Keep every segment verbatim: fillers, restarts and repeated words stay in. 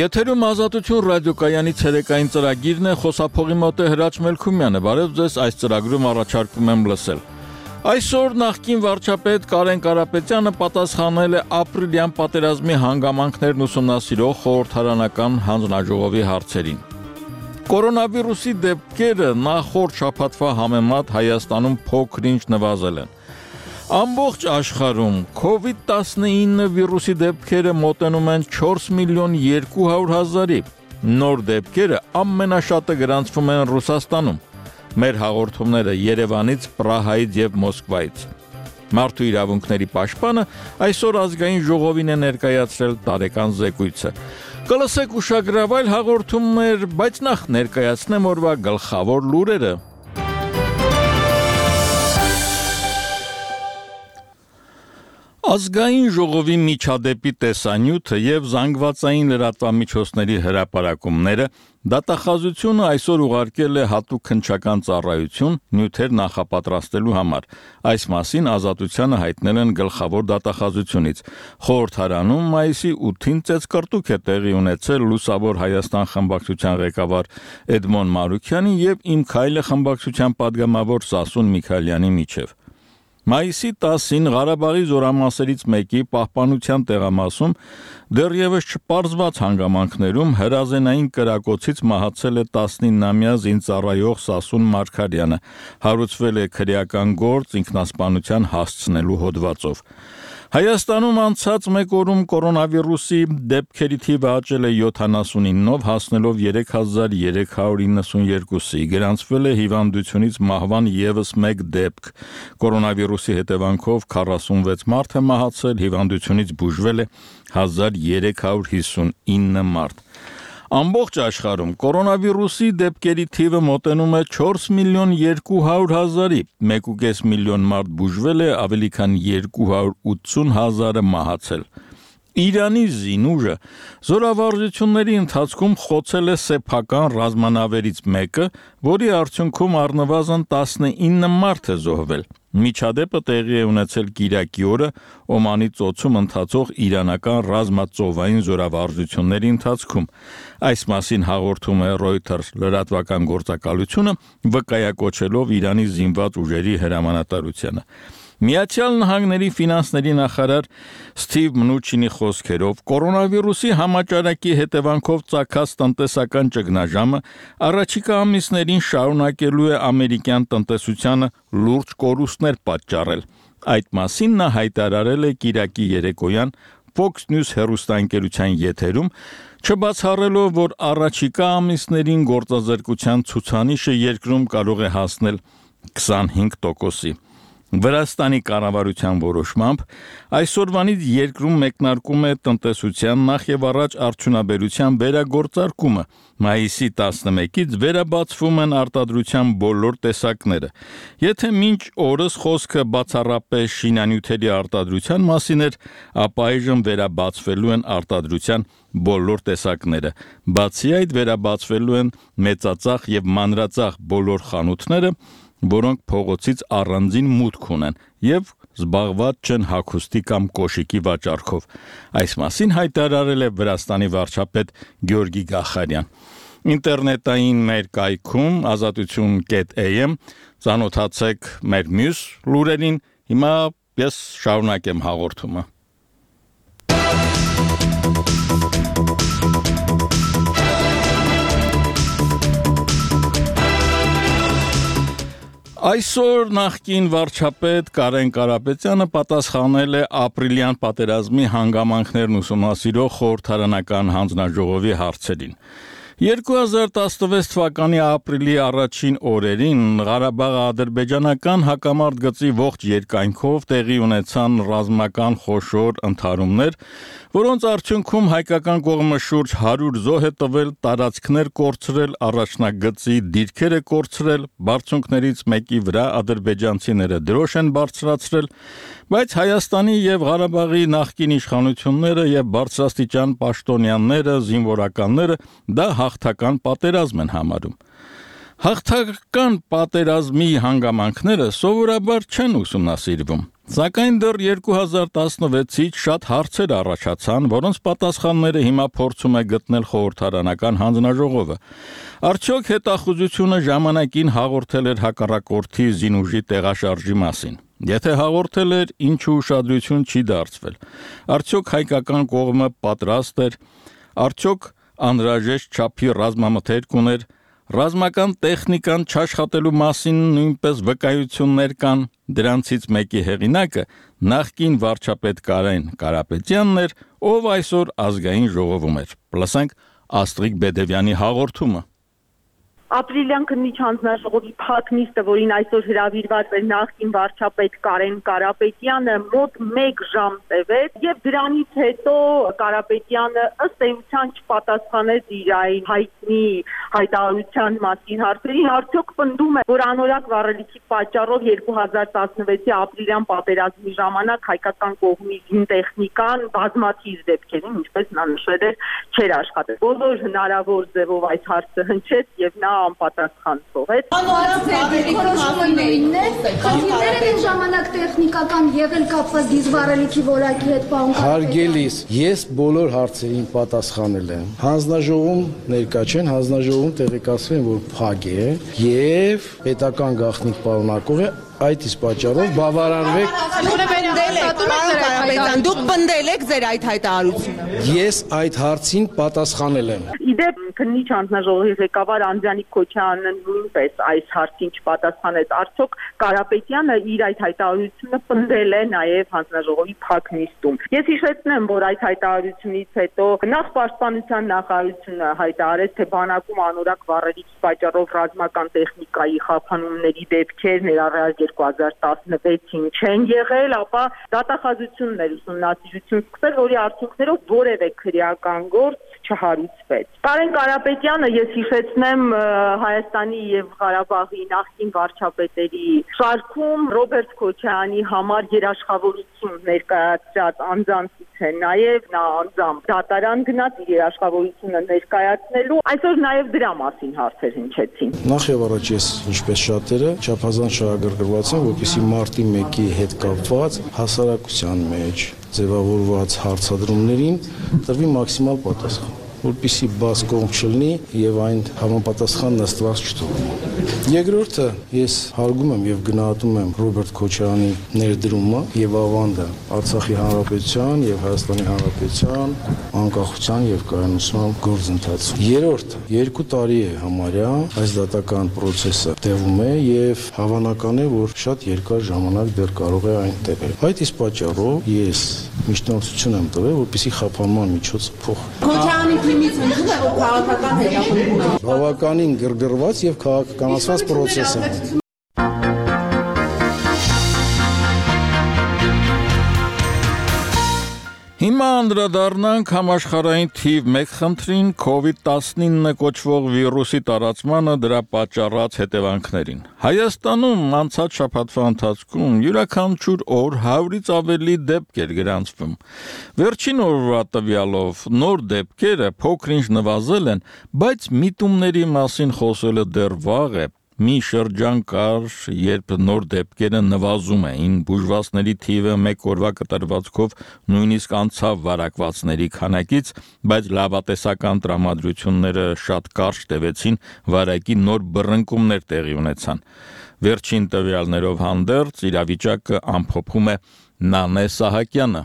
Եթերում Ազատություն ռադիոկայանի ցերեկային ծրագիրն է, խոսափողի մոտ է Հրաչ Մելքումյանը, բարև ձեզ, այս ծրագրում առաջարկում եմ լսել։ Այսօր նախկին վարչապետ Կարեն Կարապետյանը պատասխանել է ապրիլյան պատերազմի հանգամանքներն ուսումնասիրող խորհրդարանական հանձնաժողովի հարցերին։ Կորոնավիրուսի դեպքերը նախորդ շաբաթվա համեմատ Հայաստանում փոքր-ինչ նվազել են։ Ամբողջ աշխարհում քովիդ տասնինը վիրուսի դեպքերը մոտենում են չորս միլիոն երկու հարյուր հազարի, նոր դեպքերը ամենաշատը գրանցվում են Ռուսաստանում, մեր հաղորդումները Երևանից, Պրահայից եւ Մոսկվայից։ Մարդու իրավունքների պաշտպանը այսօր ազգային ժողովին է ներկայացրել տարեկան զեկույցը։ Կլսեք ուշագրավայր հաղորդումներ, բայց նախ ներկայացնեմ օրվա գլխավոր լուրերը։ Ազգային ժողովի միջադեպի տեսանյութը եւ զանգվածային լրատվամիջոցների հրապարակումները դատախազությունը այսօր ուղարկել է հատուկ քննչական ծառայություն նյութեր նախապատրաստելու համար։ Այս մասին Ազատությանը հայտնել են գլխավոր դատախազությունից։ Խորհրդարանում մայիսի ութին ծեծկռտուք է տեղի ունեցել Լուսավոր Հայաստան խմբակցության ղեկավար Էդմոն Մարուքյանի եւ Իմ քայլը խմբակցության падգամավոր Սասուն Միքայելյանի միջև։ Մայիսի տասին Ղարաբաղի զորամասերից մեկի պահպանության տեղամասում դեռևս չպարզված հանգամանքներում հրազենային կրակոցից մահացել է տասնինամյա զինծառայող Սասուն Մարգարյանը, հարուցվել է քրեական գործ ինքնասպանության հասցնելու հոդվածով։ Հայաստանում անցած մեկ օրում կորոնավիրուսի դեպքերի թիվը աճել է յոթանասունինով, հասնելով երեք հազար երեք հարյուր իննսունյերկուսի, գրանցվել է հիվանդությունից մահվան ևս մեկ դեպք։ Կորոնավիրուսի հետևանքով քառասունվեց մարդ է մահացել, հիվանդությունից բուժվել է հազար երեք հարյուր հիսունինը մարդ։ Ամբողջ աշխարհում կորոնավիրուսի դեպքերի թիվը մոտենում է չորս միլիոն երկու հարյուր հազարի, մեկ ու կես միլիոն մարդ բուժվել է, ավելի քան երկու հարյուր ութսուն հազարը մահացել։ Իրանի զինուժը զորավարժությունների ընթացքում խոցել է սեփական ռազմանավերից մեկը, որի արդյունքում առնվազն տասնինը մարդ է զոհվել։ Միջադեպը տեղի է ունեցել Կիրակի օրը Օմանի ծոցում ընթացող իրանական ռազմածովային զորավարժությունների ընթացքում։ Այս մասին հաղորդում է Reuters լրատվական գործակալությունը, վկայակոչելով Իրանի զինված ուժերի հրամանատարությանը։ Միացյալ Նահանգների ֆինանսների նախարար Սթիվ Մնուչինի խոսքերով կորոնավիրուսի համաճարակի հետևանքով ծագած տնտեսական ճգնաժամը առաջիկա ամիսներին շարունակելու է ամերիկյան տնտեսությանը լուրջ կորուստներ պատճառել։ Այդ մասին նա հայտարարել է Կիրակի երեկոյան Fox News հեռուստաընկերության եթերում, չբացառելով, որ առաջիկա ամիսներին գործազրկության ցուցանիշը երկրում կարող է հասնել քսանհինգ տոկոսի։ Վրաստանի կառավարության որոշմամբ այսօրվանից երկրում մեկնարկում է տնտեսության նախ եւ առաջ արդյունաբերության վերագործարկումը։ Մայիսի տասնմեկից վերաբացվում են արտադրության բոլոր տեսակները։ Եթե մինչ օրս խոսքը բացառապես շինանյութերի արտադրության մասին էր, ապա այժմ վերաբացվելու են արտադրության բոլոր տեսակները։ Բացի այդ վերաբացվելու են մեծածախ եւ մանրածախ բոլոր խանութները, որոնք փողոցից առանձին մուտք ունեն եւ զբաղված չեն հագուստի կամ կոշիկի վաճառքով։ Այս մասին հայտարարել է Վրաստանի վարչապետ Գյորգի Գախարյան։ Ինտերնետային մեր կայքում ազատություն կետ am ծանոթացեք մեր մյուս լուրերին։ Հիմա ես շարունակեմ հաղորդումը։ Այսօր նախկին վարչապետ Կարեն Կարապետյանը պատասխանել է ապրիլյան պատերազմի հանգամանքներն ուսումնասիրող խորհրդարանական հանձնաժողովի հարցերին։ երկու հազար տասնվեց թվականի ապրիլի առաջին օրերին Ղարաբաղի ադրբեջանական հակամարտ գծի ողջ երկայնքով տեղի ունեցան ռազմական խոշոր ընդհարումներ, որոնց արդյունքում հայկական կողմը շուրջ հարյուր զոհ է տվել, տարածքներ կորցրել, առաջնագծի դիրքեր է կորցրել, բարձունքներից մեկի վրա ադրբեջանցիները դրոշ են բարձրացրել, բայց Հայաստանի եւ Ղարաբաղի նախկին իշխանությունները եւ բարձրաստիճան պաշտոնյաները, զինվորականները դա հաղթական պատերազմ են համարում։ Հաղթական պատերազմի հանգամանքները սովորաբար չեն ուսումնասիրվում։ Սակայն դեռ երկու հազար տասնվեցից շատ հարցեր առաջացան, որոնց պատասխանները հիմա փորձում է գտնել խորհրդարանական հանձնաժողովը։ Արդյոք հետախուզությունը ժամանակին հաղորդել էր հակառակորդի զինուժի տեղաշարժի մասին։ Եթե հաղորդել էր, ինչու ուշադրություն չի դարձվել։ Արդյոք հայկական կողմը պատրաստ էր, արդյոք անհրաժեշտ չափի ռազմամթերք ուներ, ռազմական տեխնիկան չաշխատելու մասին նույնպես վկայություններ կան, դրանցից մեկի հեղինակը նախկին վարչապետ Կարեն Կարապետյանն էր, ով այսօր ազգային ժողովում էր։ Լսենք Աստղիկ Բեդևյանի հաղորդումը։ Ապրիլյան քննիչ հանձնաժողովի փակ նիստը, որին այսօր հրավիրված էր նախկին վարչապետ Կարեն Կարապետյանը, մոտ մեկ ժամ տևեց, եւ դրանից հետո Կարապետյանը ըստ էության չպատասխանեց իր այն հայտնի հայտարարության մասին հարցերին, արդյոք պնդում է, որ անորակ վառելիքի պատճառով երկու հազար տասնվեցի ապրիլյան պատերազմի ժամանակ հայկական կողմի զինտեխնիկան բազմաթիվ դեպքերին, ինչպես նա նշել էր, չէր աշխատել։ Բոլոր հնարավոր ձևով այս հարցը հնչեց եւ նա անպատասխան թողեց։ Խնդիրները այն ժամանակ տեխնիկական եղել կապված դիզվառելիքի որակի հետ պարոն Հարգելիս, ես բոլոր հարցերին պատասխանել եմ։ Հանձնաժողովում ներկա չեն, հանձնաժողովում տեղեկացրել են, որ փակ է եւ պետական գաղտնիք պարունակող է, այդ իսկ պատճառով բավարարվեք։ Դուք պնդել եք ձեր այդ հայտարարությունը։ Ես այդ հարցին պատասխանել եմ։ Իդեպ քննիչ հանձնաժողովի ղեկավար Անդրանիկ Քոչարյանը նույնպես այս հարցին չպատասխանեց։ Արդյոք Կարապետյանը իր այդ հայտարարությունը պնդել է նաև հանձնաժողովի փակ նիստում։ Ես հիշեցնեմ, որ այդ հայտարարությունից հետո նախ պաշտպանության նախարարությունը հայտարարեց, թե բանակում անորակ վառելիքի պատճառով ռազմական տեխնիկայի խափանումների դեպքեր ներառյալ երկու հազար տասնվեցին չեն եղել, ապա դատախազություններ ուսումնասիրություն սկսել, որի արդյունքներով որևէ քրեական գործ չհարուցվեց։ Կարեն Կարապետյանը, ես հիշեցնեմ, Հայաստանի եւ Ղարաբաղի նախկին վարչապետերի շարքում Ռոբերտ Քոչարյանի համար երաշխավորություն ներկայացրած անձանցից է նաեւ նա անձամբ դատարան գնաց իր երաշխավորությունը ներկայացնելու, այսօր նաեւ դրա մասին հարցեր հնչեցին։ Նախ եւ առաջ ես, ինչպես շատերը, չափազանց շահագրգռված եմ, որպեսզի մարտի մեկի հետ կապված հասարակության մեջ ձևավորված հարցադրումներին տրվի մաքսիմալ պատասխան, որպեսզի բաց կողմ չլինի եւ այն համապատասխան նստված չթողնի։ Երկրորդը, ես հարգում եմ եւ գնահատում եմ Ռոբերտ Քոչարյանի ներդրումը եւ ավանդը Արցախի հանրապետության եւ Հայաստանի հանրապետության անկախության եւ կայունության գործընթացում։ Երրորդը, երկու տարի է համարյա այս դատական process-ը տևում է եւ հավանական է, որ շատ երկար ժամանակ դեռ կարող է այն տևել։ Այդ իսկ պատճառով ես միջնորդություն եմ տվել, որպեսզի խափանման միջոցը փոխվի։ Քոչարյանի թիմից ընդդեմ է, որ քաղաքական հետապնդում է։ Բավականին գրգռված եւ քաղաքականացված process է։ Հիմա անդրադառնանք համաշխարհային թիվ մեկ խնդրին կովիդ տասնինը կոչվող վիրուսի տարածմանը դրա պատճառած հետևանքներին։ Հայաստանում անցած շաբաթվա ընթացքում յուրաքանչյուր օր հարյուրից ավելի դեպքեր գրանցվում։ Վերջին օրվա տվյալով նոր դեպքերը փոքր-ինչ նվազել են, բայց միտումների մասին խոսելը դեռ վաղ է։ Մի շրջան կար, երբ նոր դեպքերը նվազում էին, բուժվածների թիվը մեկ օրվա կտրվածքով նույնիսկ անցավ վարակվածների քանակից, բայց լավատեսական տրամադրությունները շատ կարճ տևեցին, վարակի նոր բռնկումներ տեղի ունեցան։ Վերջին տվյալներով հանդերձ իրավիճակը ամփոփում է Նանե Սահակյանը։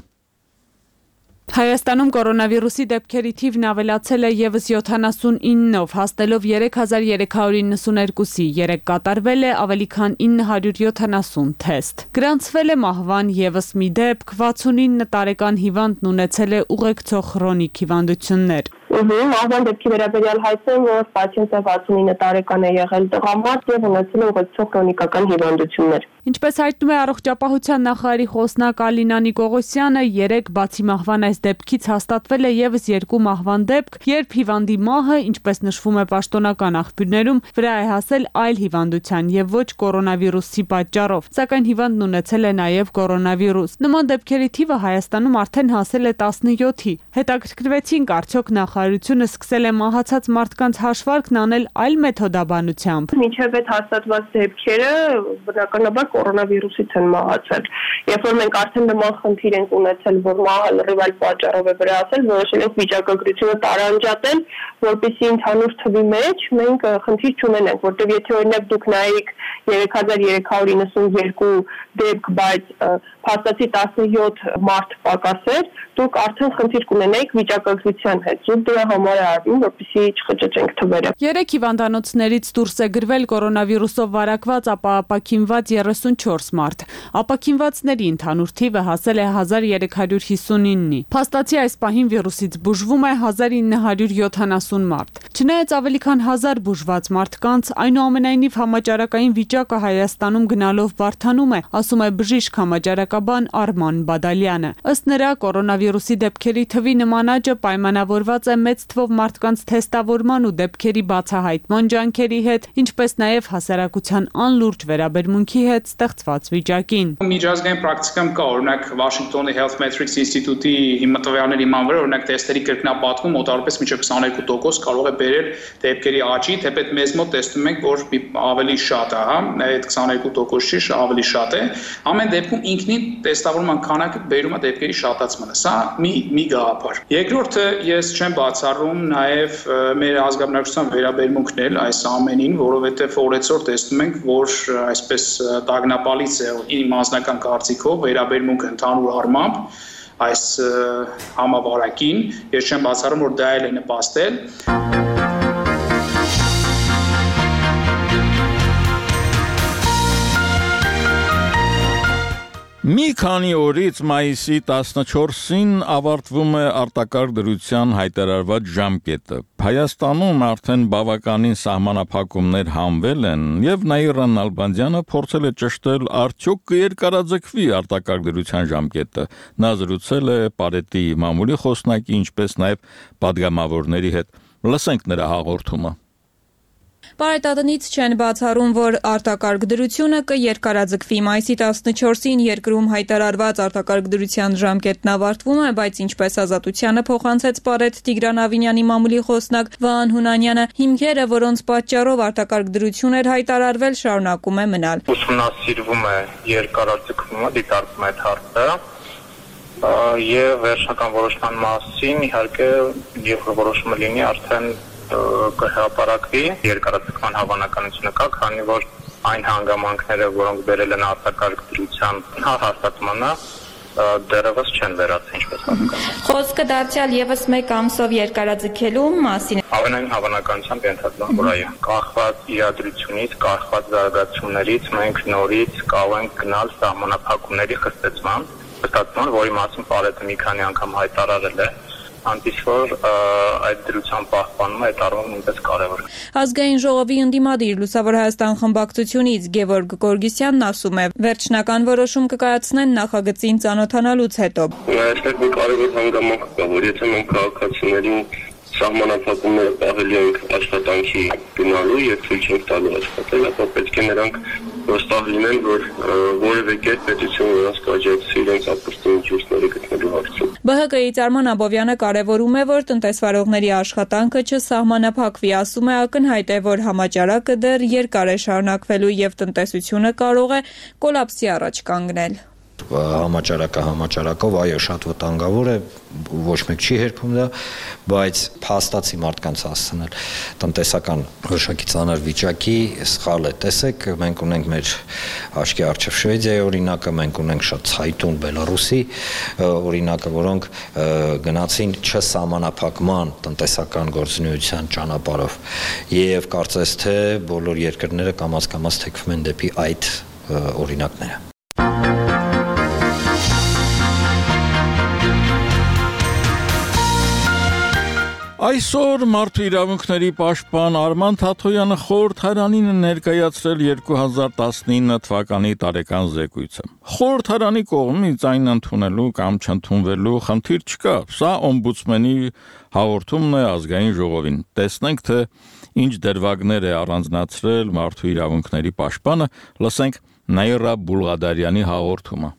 Հայաստանում կորոնավիրուսի դեպքերի թիվն ավելացել է ևս յոթանասունինով, հասնելով երեք հազար երեք հարյուր իննսուներկուսի, երեկ կատարվել է ավելի քան ինը հարյուր յոթանասուն թեստ։ Գրանցվել է մահվան ևս մի դեպք, վաթսունինը տարեկան հիվանդն ունեցել է ուղեկցող քրոնիկ հիվանդություններ։ Մահվան դեպքի վերաբերյալ հայտնեմ, որ պացիենտը վաթսունինը տարեկան է եղել տղամարդ եւ ունեցել է ուղեկցող քրոնիկական հիվանդություններ։ Ինչպես հայտնում է առողջապահության նախարարի խոսնակ Ալինա Նիկողոսյանը, երեք բացի մահվան այս դեպքից հաստատվել է ևս երկու մահվան դեպք, երբ հիվանդի մահը, ինչպես նշվում է պաշտոնական աղբյուրներում, վրա է հասել այլ հիվանդության եւ ոչ կորոնավիրուսի պատճառով, սակայն հիվանդն ունեցել է նաեւ կորոնավիրուս։ Նման դեպքերի թիվը Հայաստանում արդեն հասել է տասնյոթի։ Հետաքրքրվեցինք, արդյոք նախարարությունը սկսել է մահացած մարդկանց հաշվարկն անել այլ մեթոդաբանությամբ։ Մինչև այդ հաստատված դեպքերը բնականաբար կորոնավիրուսից են մահացել։ Երբ որ մենք արդեն նման խնդիր ենք ունեցել, որ մահը լրիվ այլ պատճառով է վրացել, որոշել ենք վիճակագրությունը տարանջատել, որպեսզի ընդհանուր թվի մեջ մենք խնդիր չունենանք, որտեղ եթե օրինակ դուք նայեք երեք հազար երեք հարյուր իննսունյոթ դեպք, բայց փաստացի տասնյոթ մարդ պակաս էր, դուք արդեն խնդիր կունենայիք վիճակագրության հետ։ Զուտ դրա համար է արվում, որպեսզի չխճճենք թվերը։ Երեք հիվանդանոցներից դուրս է գրվել կորոնավիրուսով վարակված, ապա ապաքինված երեսունչորս մարդ։ Ապաքինվածների ընդհանուր թիվը հասել է հազար երեք հարյուր հիսունինի։ Փաստացի այս պահին վիրուսից բուժվում է հազար ինը հարյուր յոթանասուն մարդ։ Չնայած ավելի քան հազար բուժված մարդկանց, այնուամենայնիվ համաճարակային վիճակը Հայաստանում գնալով բարդանում է, ասում է բժիշկ համաճարակաբան Արման Բադալյանը։ Ըստ նրա, կորոնավիրուսի դեպքերի թվի նման աճը պայմանավորված է մեծ թվով մարդկանց թեստավորման ու դեպքերի բացահայտման ջանքերի հետ, ինչպես նաև հասարակության անլուրջ վերաբերմունքի հետ ստեղծված վիճակին։ Միջազգային պրակտիկայում կա, օրինակ Վաշինգտոնի Health Metrics ինստիտուտի տվյալների մանվեր, օրինակ թեստերի կրկնապատկում մոտավորապես մինչև քսաներկու տոկոս կարող է բերել դեպքերի աճի, թեպետ մեզ մոտ տեսնում ենք, որ ավելի շատ է, հա, այդ քսաներկու տոկոս չի, ավելի շատ է։ Ամեն դեպքում ինքնին տեստավորման քանակը բերում է դեպքերի շատացմանը։ Սա մի մի գաղափար։ Երկրորդը, ես չեմ բացառում նաև մեր ազգաբնակչության վերաբերմունքն էլ այս ամենին, որովհետև օրեցօր տեսնում ենք, որ այսպես տագնապալից է իմ անձնական կարծիքով վերաբերմունքը ընդհանուր առմամբ այս համավարակին, ես չեմ բացառում, որ դա էլ է նպաստել։ Մի քանի օրից մայիսի տասնչորսին ավարտվում է արտակարգ դրության հայտարարված ժամկետը։ Հայաստանում արդեն բավականին սահմանափակումներ հանվել են, եւ Նաիրա Նալբանդյանը փորձել է ճշտել, արդյոք կերկարաձգվի արտակարգ դրության ժամկետը։ Նա զրուցել է Պարետի մամուլի խոսնակի, ինչպես նաեւ падգամավորների հետ։ Լսենք նրա հաղորդումը։ Պարետատնից չեն բացառում, որ արտակարգ դրությունը կերկարաձգվի։ Մայիսի տասնչորսին երկրում հայտարարված արտակարգ դրության ժամկետն ավարտվում է, բայց ինչպես Ազատությանը փոխանցեց Պարետ Տիգրան Ավինյանի մամուլի խոսնակ Վահան Հունանյանը, հիմքերը, որոնց պատճառով արտակարգ դրություն էր հայտարարվել, շարունակում է մնալ։ Ուսումնասիրվում է երկարաձգումը, դիտարկվում է այդ հարցը, եւ վերջնական որոշման մասին իհարկե երբ որոշումը լինի, արդեն կհրապարակվի, երկարաձգման հավանականությունը կա, քանի որ այն հանգամանքները, որոնք բերել են արտակարգ դրության հաստատմանը, դեռևս չեն վերացել, ինչպես հասկանում։ Խոսքը դարձյալ եւս մեկ ամսով երկարաձգելու մասին։ Ամենայն հավանականությամբ ենթադրում, որ այո, կախված իրադրությունից, կախված զարգացումներից մենք նորից կարող ենք գնալ սահմանափակումների խստեցման, խստացման, որի մասին Պարետը մի քանի անգամ հայտարարել է, այնպես որ այդ դրության պահպանումը այդ առումով նույնպես կարևոր է։ Ազգային ժողովի ընդդիմադիր Լուսավոր Հայաստան խմբակցությունից Գևորգ Գորգիսյանն ասում է, վերջնական որոշում կկայացնեն նախագծին ծանոթանալուց հետո։ Այստեղ մի կարևոր հանգամանք կա, որ եթե մենք քաղաքացիներին սահմանափակումները պահելի ենք աշխատանքի գնալու եւ ցույց ենք տալու աշխատել, ապա պետք է նրանք վստահ լինեն, որ որևէ կերպ պետությունը նրանց կաջակցի իրենց ապրստի միջոցները գտնելու հարցում։ Բ Հ Կ-ի Արման Աբովյանը կարևորում է, որ տնտեսվարողների աշխատանքը չսահմանափակվի, ասում է ակնհայտ է, որ համաճարակը դեռ երկար է շարունակվելու եւ տնտեսությունը կարող է կոլապսի առաջ կանգնել։ Համաճարակը համաճարակով, այո, շատ վտանգավոր է, ոչ մեկ չի հերքում դա, բայց փաստացի մարդկանց հասցնել տնտեսական որոշակի ծանր վիճակի սխալ է։ Տեսեք, մենք ունենք մեր աչքի առջև Շվեդիայի օրինակը, մենք ունենք շատ ցայտուն Բելարուսի օրինակը, որոնք գնացին չսահմանափակման տնտեսական գործունեության ճանապարհով, եւ կարծես թե բոլոր երկրները կամաց-կամաց թեքվում են դեպի այդ օրինակները։ Այսօր մարդու իրավունքների պաշտպան Արման Թաթոյանը խորհրդարանին ներկայացրել երկու հազար տասնինը թվականի տարեկան զեկույցը։ Խորհրդարանի կողմից այն ընդունելու կամ չընդունվելու խնդիր չկա։ Սա օմբուդսմենի հաղորդումն է ազգային ժողովին։ Տեսնենք, թե ինչ դրվագներ է առանձնացրել մարդու իրավունքների պաշտպանը, լսենք Նաիրա Բուլղադարյանի հաղորդումը։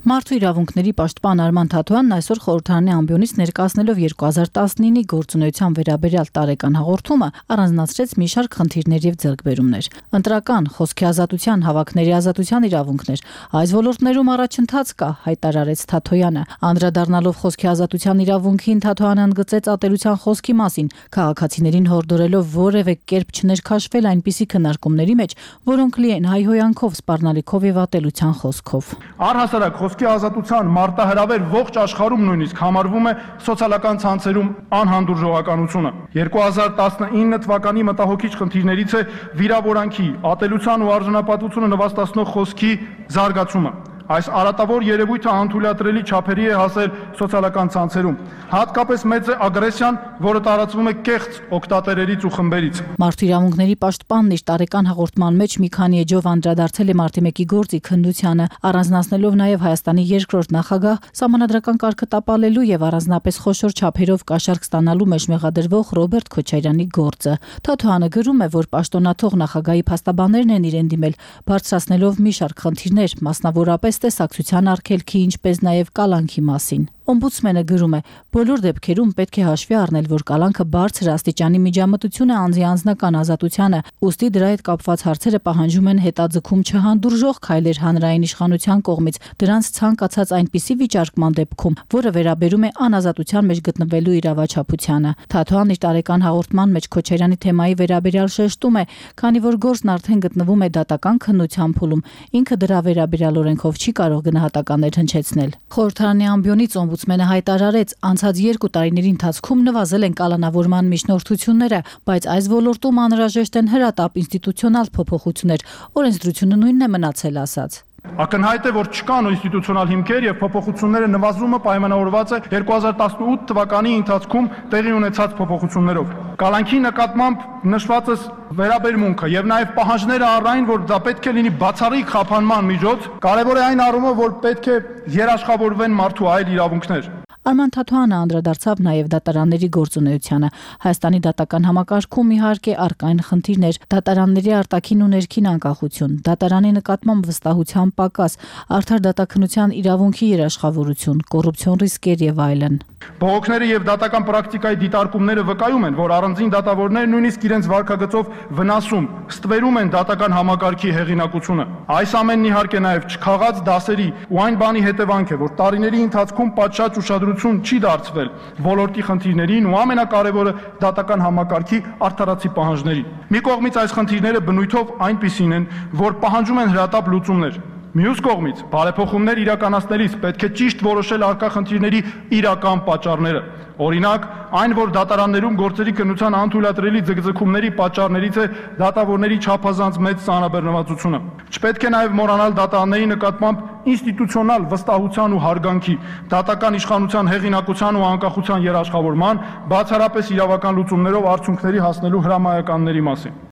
Մարդու իրավունքների պաշտպան Արման Թաթոյանն այսօր խորհրդարանի ամբիոնից ներկայացնելով երկու հազար տասնինի գործունեության վերաբերյալ տարեկան հաղորդումը առանձնացրեց մի շարք խնդիրներ եւ ձեռքբերումներ։ Ընտրական, խոսքի ազատության, հավաքների ազատության իրավունքներ, այս ոլորտներում առաջընթաց կա, հայտարարեց Թաթոյանը։ Անդրադառնալով խոսքի ազատության իրավունքին, Թաթոյանը ընդգծեց ատելության խոսքի մասին, քաղաքացիներին հորդորելով որևէ կերպ չներքաշվել այնպիսի քննարկումների մեջ, որոնք լի են հայհոյանքով, սպառնալիքով եւ ատելության խոսքով։ Առհասարակ խոսքի ազատության մարտահրավեր ողջ աշխարհում նույնիսկ համարվում է սոցիալական ցանցերում անհանդուրժողականությունը։ երկու հազար տասնինը թվականի մտահոգիչ խնդիրներից է վիրավորանքի, ատելության ու արժանապատվությունը նվաստացնող խոսքի զարգացումը։ Այս արատավոր երևույթը անթույլատրելի չափերի է հասել սոցիալական ցանցերում։ Հատկապես մեծ է ագրեսիան, որը տարածվում է կեղծ օգտատերերից ու խմբերից։ Մարդու իրավունքների պաշտպանն իր տարեկան հաղորդման մեջ մի քանի էջով անդրադարձել է մարտի մեկի գործի քննությանը, առանձնացնելով նաև Հայաստանի երկրորդ նախագահ, սահմանադրական կարգը տապալելու եւ առանձնապես խոշոր չափերով կաշառք ստանալու մեջ մեղադրվող Ռոբերտ Քոչարյանի գործը։ Թաթոյանը գրում է, որ պաշտոնաթող նախագահի փաստաբաններն են իրեն դիմել, բարձրացնելով մի շարք խնդիրներ, մասնավորապես տեսակցության արգելքի, ինչպես նաև կալանքի մասին։ Օմբուդսմենը գրում է. բոլոր դեպքերում պետք է հաշվի առնել, որ կալանքը բարձր աստիճանի միջամտություն է անձի անձնական ազատությանը, ուստի դրա հետ կապված հարցերը պահանջում են հետաձգում չհանդուրժող քայլեր հանրային իշխանության կողմից, դրանց ցանկացած այնպիսի վիճարկման դեպքում, որը վերաբերում է անազատության մեջ գտնվելու իրավաչափությանը։ Թաթոյանն իր տարեկան հաղորդման մեջ Քոչարյանի թեմայի վերաբերյալ շեշտում է, քանի որ գործն արդեն գտնվում է դատական քննության փուլում, ինքը դրա վերաբերյալ օրենքով չի կարող գնահատականներ հնչեցնել։ Խորհրդարանի ամբիոնից Օմբուդսմենը հայտարարեց, անցած երկու տարիների ընթացքում նվազել են կալանավորման միջնորդությունները, բայց այս ոլորտում անհրաժեշտ են հրատապ ինստիտուցիոնալ փոփոխություններ, օրենսդրությունը նույնն է մնացել, ասաց։ Ակնհայտ է, որ չկան ինստիտուցիոնալ հիմքեր եւ փոփոխությունները նվազումը պայմանավորված է երկու հազար տասնութ թվականի ընթացքում տեղի ունեցած փոփոխություններով։ Կալանքի նկատմամբ նշվածս վերաբերմունքը եւ նաեւ պահանջները առայն, որ դա պետք է լինի բացառիկ խափանման միջոց, կարեւոր է այն առումով, որ պետք է երաշխավորվեն մարդու այլ իրավունքներ։ Արման Թաթոյանը անդրադարձավ նաև դատարանների գործունեությանը։ Հայաստանի դատական համակարգում իհարկե առկա են խնդիրներ, դատարանների արտաքին ու ներքին անկախություն, դատարանի նկատմամբ վստահության պակաս, արդար դատաքննության իրավունքի երաշխավորություն, կոռուպցիոն ռիսկեր եւ այլն։ Բողոքները եւ դատական պրակտիկայի դիտարկումները վկայում են, որ առանձին դատավորները նույնիսկ իրենց վարքագծով վնասում, ստվերում են դատական համակարգի հեղինակությունը։ Այս ամենն իհարկե նաեւ չքաղած դասերի ու այն բանի հետևանք է, որ տարիների ընթացքում պատշաճ ուշադրություն չի դարձվել ոլորտի խնդիրներին ու ամենակարևորը դատական համակարգի արդարացի պահանջներին։ Մի կողմից այս խնդիրները բնույթով այնպիսին են, որ պահանջում են հրատապ լուծումներ։ Մյուս կողմից բարեփոխումներ իրականացնելիս պետք է ճիշտ որոշել առկա խնդիրների իրական պատճառները։ Օրինակ, այն, որ դատարաններում գործերի քննության անթույլատրելի ձգձգումների պատճառներից է դատավորների չափազանց մեծ ծանրաբեռնվածությունը։ Չպետք է նաև մոռանալ դատարանների նկատմամբ ինստիտուցիոնալ վստահության ու հարգանքի, դատական իշխանության հեղինակության ու անկախության երաշխավորման, բացառապես իրավական լուծումներով արդյունքների հասնելու հրամայականների մասին։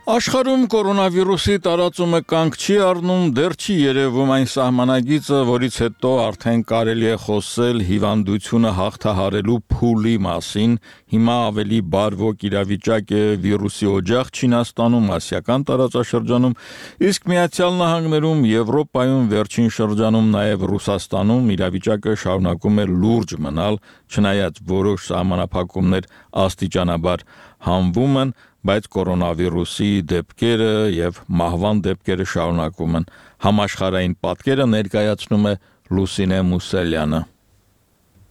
Աշխարհում կորոնավիրուսի տարածումը կանգ չի առնում, դեռ չի երևում այն սահմանագիծը, որից հետո արդեն կարելի է խոսել հիվանդությունը հաղթահարելու փուլի մասին։ Հիմա ավելի բարվոք իրավիճակ է վիրուսի օջախ Չինաստանում, ասիական տարածաշրջանում, իսկ Միացյալ Նահանգներում, Եվրոպայում, վերջին շրջանում նաև Ռուսաստանում իրավիճակը շարունակում է լուրջ մնալ, չնայած որոշ սահմանափակումներ աստիճանաբար հանվում են, բայց կորոնավիրուսի դեպքերը եւ մահվան դեպքերը շարունակվում են։ Համաշխարհային պատկերը ներկայացնում է Լուսինե Մուսելյանը։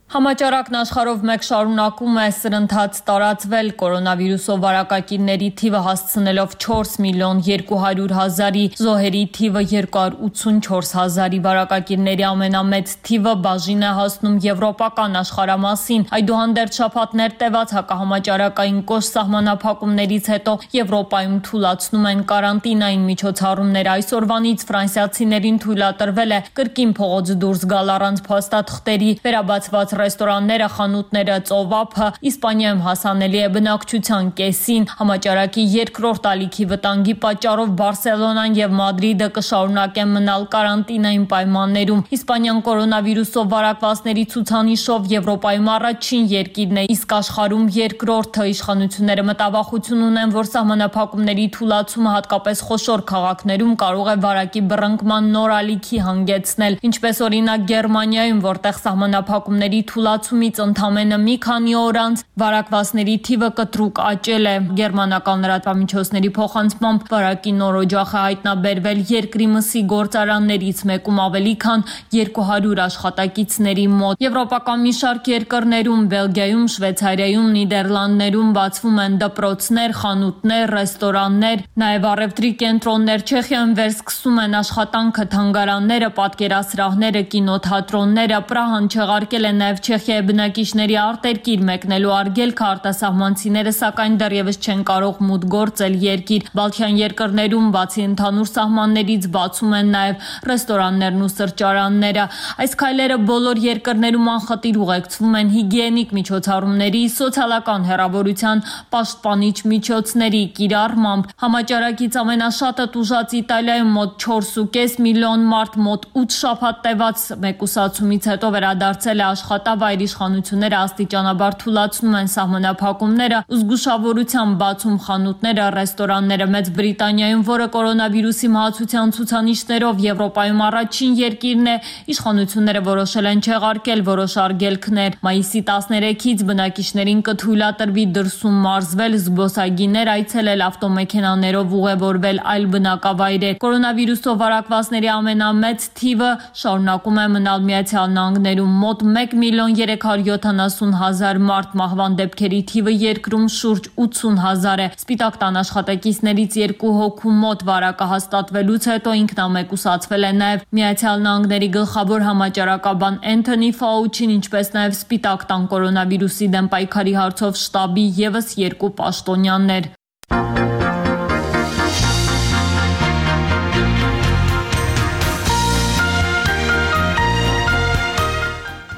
Համաճարակն աշխարհով մեկ շարունակում է սրընթաց տարածվել կորոնավիրուսով վարակակիրների թիվը հասցնելով չորս միլիոն երկու հարյուր հազարի, զոհերի թիվը երկու հարյուր ութսունչորս հազարի, վարակակիրների ամենամեծ թիվը բաժին է հասնում եվրոպական աշխարհամասին։ Այդուհանդերձ շաբաթներ տևած հակահամաճարակային կոշտ սահմանափակումներից հետո Եվրոպայում թուլացնում են կարանտինային միջոցառումներ։ Այսօրվանից ֆրանսիացիներին թույլատրվել է կրկին փողոց դուրս գալ առանց փաստաթղթերի, վերաբացված ռեստորանները, խանութները, ծովափը Իսպանիայում հասանելի է բնակչության կեսին։ Համաճարակի երկրորդ ալիքի վտանգի պատճառով Բարսելոնան եւ Մադրիդը կշարունակեն մնալ կարանտինային պայմաններում։ Իսպանիան կորոնավիրուսով վարակվածների ցուցանիշով Եվրոպայում առաջին երկիրն է, իսկ աշխարհում երկրորդը։ Իշխանությունները մտավախություն ունեն, որ սահմանափակումների թուլացումը հատկապես խոշոր քաղաքներում կարող է վարակի բռնկման նոր ալիքի հանգեցնել, ինչպես օրինակ Գերմանիայում, որտեղ սահմանափակումների թուլացումից ընդամենը մի քանի օր անց վարակվածների թիվը կտրուկ աճել է։ Գերմանական լրատվամիջոցների փոխանցմամբ վարակի նոր օջախ է հայտնաբերվել երկրի մսի գործարաններից մեկում ավելի քան երկու հարյուր աշխատակիցների մոտ։ Եվրոպական մի շարք երկրներում, Բելգիայում, Շվեյցարիայում, Նիդերլանդներում բացվում են դպրոցներ, խանութներ, ռեստորաններ, նաև առևտրի կենտրոններ։ Չեխիայում վերսկսում են աշխատանքը թանգարանները, պատկերասրահները, կինոթատրոնները։ Պրահան չեղարկել է նաև Չեխիայի բնակիչների արտերկիր մեկնելու արգելքը, արտասահմանցիները սակայն դեռևս չեն կարող մուտք գործել երկիր։ Բալթյան երկրներում բացի ընդհանուր սահմաններից բացում են նաև ռեստորաններն ու սրճարանները։ Այս քայլերը բոլոր երկրներում անխտիր ուղեկցվում են հիգիենիկ միջոցառումների, սոցիալական հեռավորության պաշտպանիչ միջոցների կիրառմամբ։ Համաճարակից ամենաշատը տուժած Իտալիայում մոտ չորս ու կես միլիոն մարդ մոտ ութ շաբաթ տևած մեկուսացումից հետո վերադարձել է աշխատավայր։ Իշխանությունները աստիճանաբար թուլացնում են սահմանափակումները, զգուշավորությամբ բացում խանութները, ռեստորանները։ Մեծ Բրիտանիայում, որը կորոնավիրուսի մահացության ցուցանիշներով Եվրոպայում առաջին երկիրն է, իշխանությունները որոշել են չեղարկել որոշ արգելքներ։ Մայիսի տասներեքից բնակիչներին կթույլատրվի դրսում մարզվել, զբոսայգիներ այցելել, ավտոմեքենաներով ուղևորվել այլ բնակավայրեր։ Կորոնավիրուսով վարակվածների ամենամեծ թիվը շարունակում է մնալ Միացյալ Նահանգներում՝ մոտ մեկ միլիոն երեք հարյուր յոթանասուն հազար մարդ, մահվան դեպքերի թիվը երկրում շուրջ ութսուն հազար է։ Սպիտակ տան աշխատակիցներից երկու հոգու մոտ վարակը հաստատվելուց հետո ինքնամեկուսացվել է նաև Միացյալ Նահանգների գլխավոր համաճարակաբան Էնթոնի Ֆաուչին, ինչպես նաև Սպիտակ տան կորոնավիրուսի դեմ պայքարի հարցով շտաբի ևս երկու պաշտոնյաներ։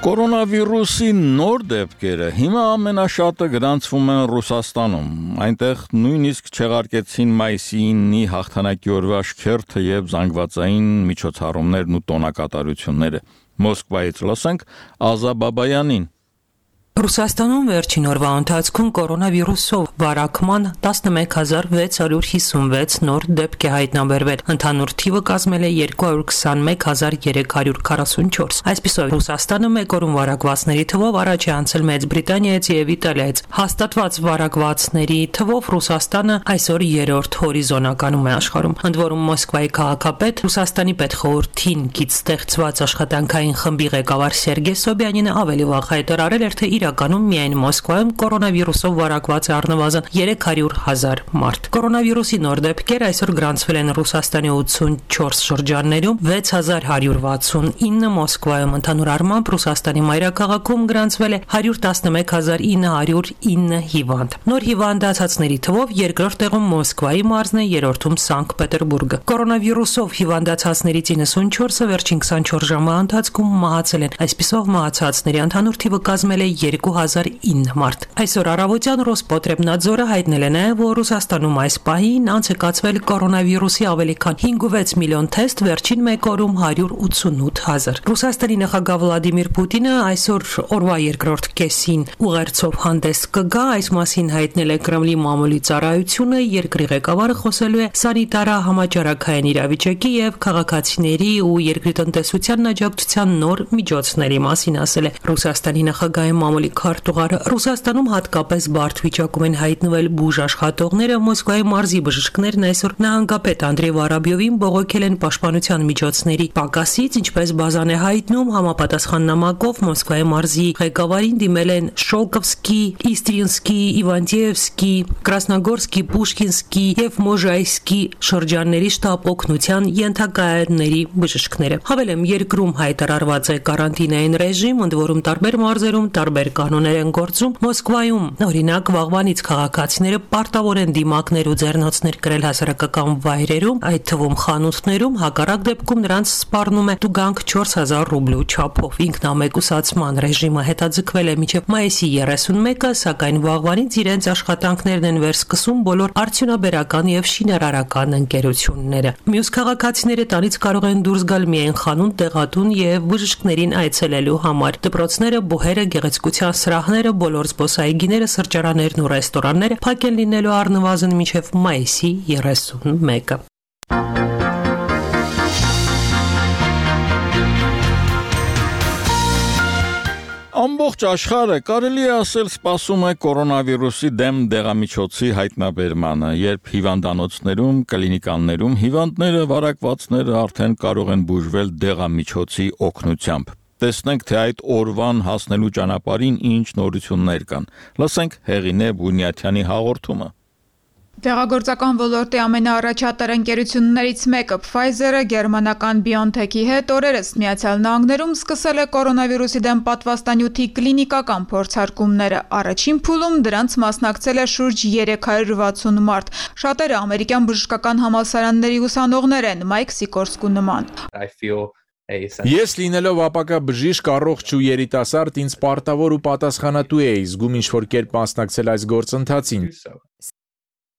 Կորոնավիրուսի նոր դեպքերը հիմա ամենաշատը գրանցվում են Ռուսաստանում։ Այնտեղ նույնիսկ չեղարկեցին մայիսի ինի հաղթանակի օրվա շքերթը եւ զանգվածային միջոցառումներն ու տոնակատարությունները։ Մոսկվայից լսենք Ազա Բաբայանին։ Ռուսաստանում վերջին օրվա ընթացքում կորոնավիրուսով վարակման տասնմեկ հազար վեց հարյուր հիսունվեց նոր դեպք է հայտնաբերվել։ Ընդհանուր թիվը կազմել է երկու հարյուր քսանմեկ հազար երեք հարյուր քառասունչորս։ Այսպիսով Ռուսաստանը մեկ օրում վարակվածների թվով առաջ է անցել Մեծ Բրիտանիայից եւ Իտալիայից։ Հաստատված վարակվածների թվով Ռուսաստանը այսօր երրորդ հորիզոնականում է աշխարհում։ Ընդ որում Մոսկվայի քաղաքապետ Ռուսաստանի պետխորհրդին կից ստեղծված աշխատանքային խմբի ղեկավար Սերգեյ Սոբյանինը ավելի վաղ հայտարարել էր, թե իրականում միայն Մոսկվայում կորոնավիրուսով վարակված է առնվազն երեք հարյուր հազար մարդ։ Կորոնավիրուսի նոր դեպքեր այսօր գրանցվել են Ռուսաստանի ութսունչորս շրջաններում, վեց հազար հարյուր վաթսունինը Մոսկվայում։ Ընդհանուր առմամբ Ռուսաստանի մայրաքաղաքում գրանցվել է հարյուր տասնմեկ հազար ինը հարյուր ինը հիվանդ։ Նոր հիվանդացածների թվով երկրորդ տեղում Մոսկվայի մարզն է, երրորդում Սանկտ Պետերբուրգը։ Կորոնավիրուսով հիվանդացածներից իննսունչորսը վերջին քսանչորս ժամվա ընթացքում մահացել են։ Այսպիսով մահացածների ընդհանուր թիվը կազմել է երկու հազար ինը մարդ։ Այսօր առավոտյան Ռոսպոտրեբնadzորը հայտնել է նաև, որ Ռուսաստանում այս պահին անց է կացվել կորոնավիրուսի ավելի քան հինգ ու վեց միլիոն թեստ, վերջին մեկ օրում հարյուր ութսունութ հազար։ Ռուսաստանի նախագահ Վլադիմիր Պուտինը այսօր օրվա երկրորդ կեսին ուղերձով հանդես կգա, այս մասին հայտնել է Կրեմլի մամուլի ծառայությունը։ Երկրի ղեկավարը խոսելու է սանիտարա համաճարակային իրավիճակի եւ քաղաքացիների ու երկրի տնտեսության աջակցության նոր միջոցների մասին, ասել է Ռուսաստանի նախագահի մամուլի քարտուղարը։ Ռուսաստանում հատկապես բարդ վիճակում են հայտնվել բուժ աշխատողները։ Մոսկվայի մարզի բժիշկներն այսօր նահանգապետ Անդրեյ Վարաբյովին բողոքել են պաշտպանության միջոցների պակասից, ինչպես բազան է հայտնում համապատասխան նամակով Մոսկվայի մարզի ղեկավարին դիմել են Շոլկովսկի, Իստրինսկի, Իվանտիևսկի, Կրասնոգորսկի, Պուշկինսկի եւ Մոժայսկի շրջանների շտապ օգնության ենթակայանների բժիշկները։ Հավելեմ, երկրում հայտարարված է կարանտինային ռեժիմ, ընդ որում տարբեր մարզերում տարբեր կանոններ են գործում, Մոսկվայում օրինակ վաղվանից քաղաքացիները պարտավոր են դիմակներ ու ձեռնոցներ կրել հասարակական վայրերում, այդ թվում խանութներում, հակառակ դեպքում նրանց սպառնում է տուգանք չորս հազար ռուբլու չափով։ Ինքնամեկուսացման ռեժիմը հետաձգվել է մինչև մայիսի երեսունմեկը, սակայն վաղվանից իրենց աշխատանքներն են վերսկսում բոլոր արդյունաբերական եւ շինարարական ընկերությունները։ Մյուս քաղաքացիները տանից կարող են դուրս գալ միայն խանութ, դեղատուն եւ բժիշկներին այցելելու համար։ Դպրոցները, բուհերը, գեղեցկության սրահները, բոլոր զբոսայգիները, սրճարաններն ու ռեստորանները փակ են լինելու առնվազն մինչև մայիսի երեսունմեկը։ Ամբողջ աշխարհը կարելի է ասել սպասում է կորոնավիրուսի դեմ դեղամիջոցի հայտնաբերմանը, երբ հիվանդանոցներում, կլինիկաներում հիվանդները, վարակվածները արդեն կարող են բուժվել դեղամիջոցի օգնությամբ։ Տեսնենք, թե այդ օրվան հասնելու ճանապարհին ինչ նորություններ կան։ Լսենք Հեղինե Բունյաթյանի հաղորդումը։ Դեղագործական ոլորտի ամենաառաջատար ընկերություններից մեկը Pfizer-ը գերմանական BioNTech-ի հետ օրերս Միացյալ Նահանգներում սկսել է կորոնավիրուսի դեմ պատվաստանյութի կլինիկական փորձարկումները։ Առաջին փուլում դրանց մասնակցել է շուրջ երեք հարյուր վաթսուն մարդ։ Շատերը ամերիկյան բժշկական համալսարանների ուսանողներ են, Մայք Սիկորսկու նման։ Ես լինելով ապակա բժիշկ, առողջ ու երիտասարդ, ինձ պարտավոր ու պատասխանատու էի զգում ինչ-որ կերպ մասնակցել այս գործընթացին։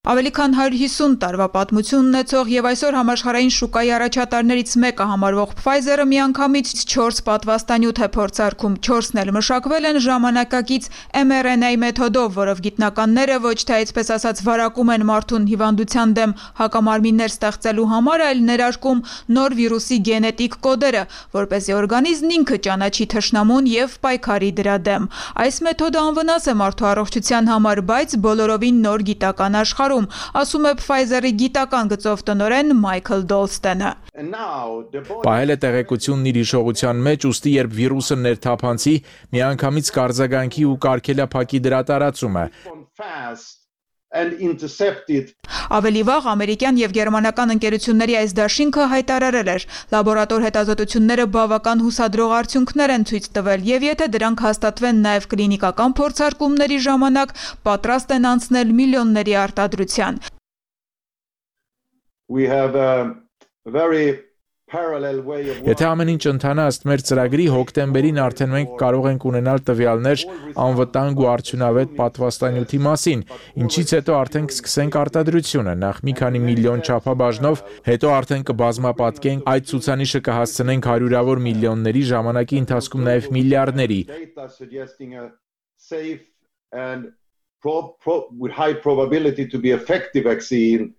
Ավելի քան հարյուր հիսուն տարվա պատմություն ունեցող եւ այսօր համաշխարհային շուկայի առաջատարներից մեկը համարվող Pfizer-ը միանգամից չորս պատվաստանյութ է փորձարկում, չորսն էլ մշակվել են ժամանակակից em er en a մեթոդով, որով գիտնականները ոչ թե այսպես ասած վարակում են մարդուն հիվանդության դեմ հակամարմիններ ստեղծելու համար, այլ ներարկում նոր վիրուսի գենետիկ կոդերը, որպեսզի օրգանիզմն ինքը ճանաչի թշնամուն եւ պայքարի դրա դեմ։ Այս մեթոդը անվնաս է մարդու առողջության համար, բայց բոլորովին նոր գիտական աշխարհ ասում է Pfizer-ի գիտական գծով տնօրեն Մայքլ Դոլստենը։ Պահել է տեղեկությունն իր հիշողության մեջ, ուստի երբ վիրուսը ներթափանցի, միանգամից կարձագանքի ու կարգելափակի դրա տարածումը։ Ավելի վաղ ամերիկյան եւ գերմանական ընկերությունների այս դաշինքը հայտարարել էր. լաբորատոր հետազոտությունները բավական հուսադրող արդյունքներ են ցույց տվել եւ եթե դրանք հաստատվեն նաեւ կլինիկական փորձարկումների ժամանակ, պատրաստ են անցնել միլիոնների արտադրության։ We have a very Եթե ամեն ինչ ընթանա ըստ մեր ծրագրի, հոկտեմբերին արդեն մենք կարող ենք ունենալ տվյալներ անվտանգ ու արդյունավետ պատվաստանյութի մասին, ինչից հետո արդեն կսկսենք արտադրությունը, նախ մի քանի միլիոն չափաբաժնով, հետո արդեն կբազմապատկենք, այդ ցուցանիշը կհասցնենք հարյուրավոր միլիոնների, ժամանակի ընթացքում նաև միլիարդների։ With high probability to be effective vaccine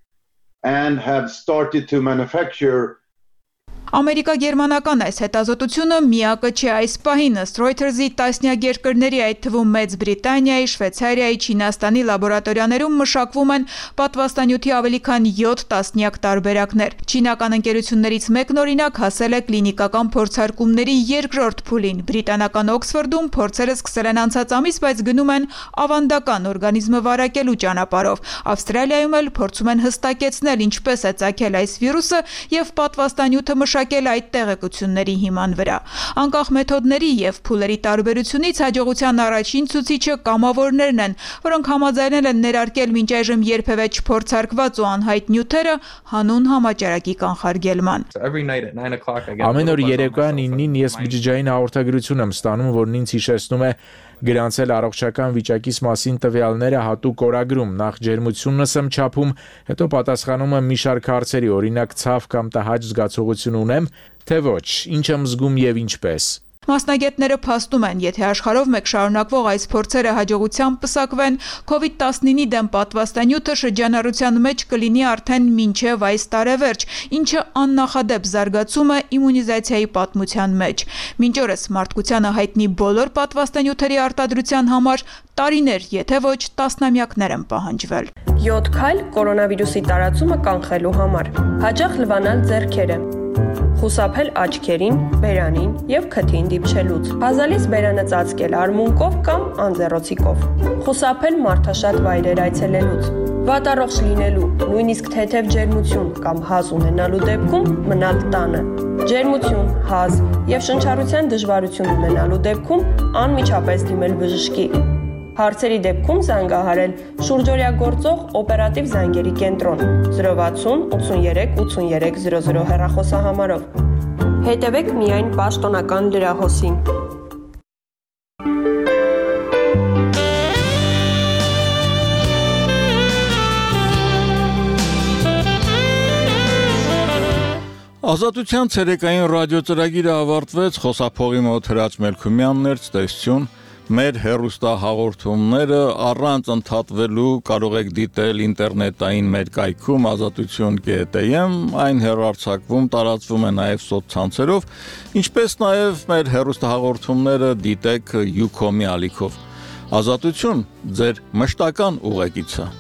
and have started to manufacture Ամերիկա-գերմանական այս հետազոտությունը միակը չէ այս պահին, ըստ Reuters-ի տասնյակ երկրների, այդ թվում Մեծ Բրիտանիայի, Շվեյցարիայի, Չինաստանի լաբորատորիաներում մշակվում են պատվաստանյութի ավելի քան յոթ տասնյակ տարբերակներ։ Չինական ընկերություններից մեկն օրինակ հասել է կլինիկական փորձարկումների երկրորդ փուլին։ Բրիտանական Օքսֆորդում փորձերը սկսել են անցած ամիս, բայց գնում են ավանդական օրգանիզմը վարակելու ճանապարհով։ Ավստրալիայում էլ փորձում են հստակեցնել ինչպես է ծագել այս վիրուսը եւ պատվաստանյութը մշակել այդ տեղեկությունների հիման վրա։ Անկախ մեթոդների եւ փուլերի տարբերությունից հաջողության առաջին ցուցիչը կամավորներն են, որոնք համաձայնել են ներարկել մինչ այժմ երբևէ չփորձարկված ու անհայտ նյութերը հանուն համաճարակի կանխարգելման։ Ամեն օր երեկոյան իննին ես բջջային հաղորդագրություն եմ ստանում, որն ինձ հիշեցնում է գրանցել առողջական վիճակիս մասին տվյալները հատուկ օրագրում, նախ ջերմությունս եմ չափում, հետո պատասխանում եմ մի շարք հարցերի, օրինակ ցավ կամ տհաճ զգացողություն ունեմ, թե ոչ, ինչ եմ զգում եւ ինչպես։ Մասնագետները փաստում են, եթե աշխարհով մեկ շարունակվող այս փորձերը հաջողությամբ պսակվեն, քովիդ տասնինի դեմ պատվաստանյութը շրջանառության մեջ կլինի արդեն մինչև այս տարեվերջ, ինչը աննախադեպ զարգացում է իմունիզացիայի պատմության մեջ։ Մինչ օրս մարդկությանը հայտնի բոլոր պատվաստանյութերի արտադրության համար տարիներ, եթե ոչ տասնամյակներ են պահանջվել։ յոթ քայլ կորոնավիրուսի տարածումը կանխելու համար։ Հաճախ լվանալ ձեռքերը։ Խուսափել աչքերին, բերանին եւ քթին դիպչելուց։ Բազալից բերանը ծածկել արմունկով կամ անձեռոցիկով։ Խուսափել մարդաշատ վայրեր այցելելուց։ Վատառողջ լինելու, նույնիսկ թեթև ջերմություն կամ հազ ունենալու դեպքում մնալ տանը։ Ջերմություն, հազ եւ շնչառության դժվարություն ունենալու դեպքում անմիջապես դիմել բժշկի։ Հարցերի դեպքում զանգահարել շուրջօրյա գործող օպերատիվ զանգերի կենտրոն zero վաթսուն ութսուներեք ութսուներեք zero zero հեռախոսահամարով։ Հետևեք միայն պաշտոնական լրահոսին։ Ազատության ցերեկային ռադիոծրագիրը ավարտվեց, խոսափողի մոտ Հրաչ Մելքումյանն էր, ցտեսություն, մեր հեռուստահաղորդումները առանց ընդհատվելու կարող եք դիտել ինտերնետային մեր կայքում ազատություն կետ am, այն հեռարձակվում, տարածվում է նաև սոցցանցերով, ինչպես նաև մեր հեռուստահաղորդումները դիտեք Ucom-ի ալիքով։ Ազատություն, ձեր մշտական ուղեկիցը։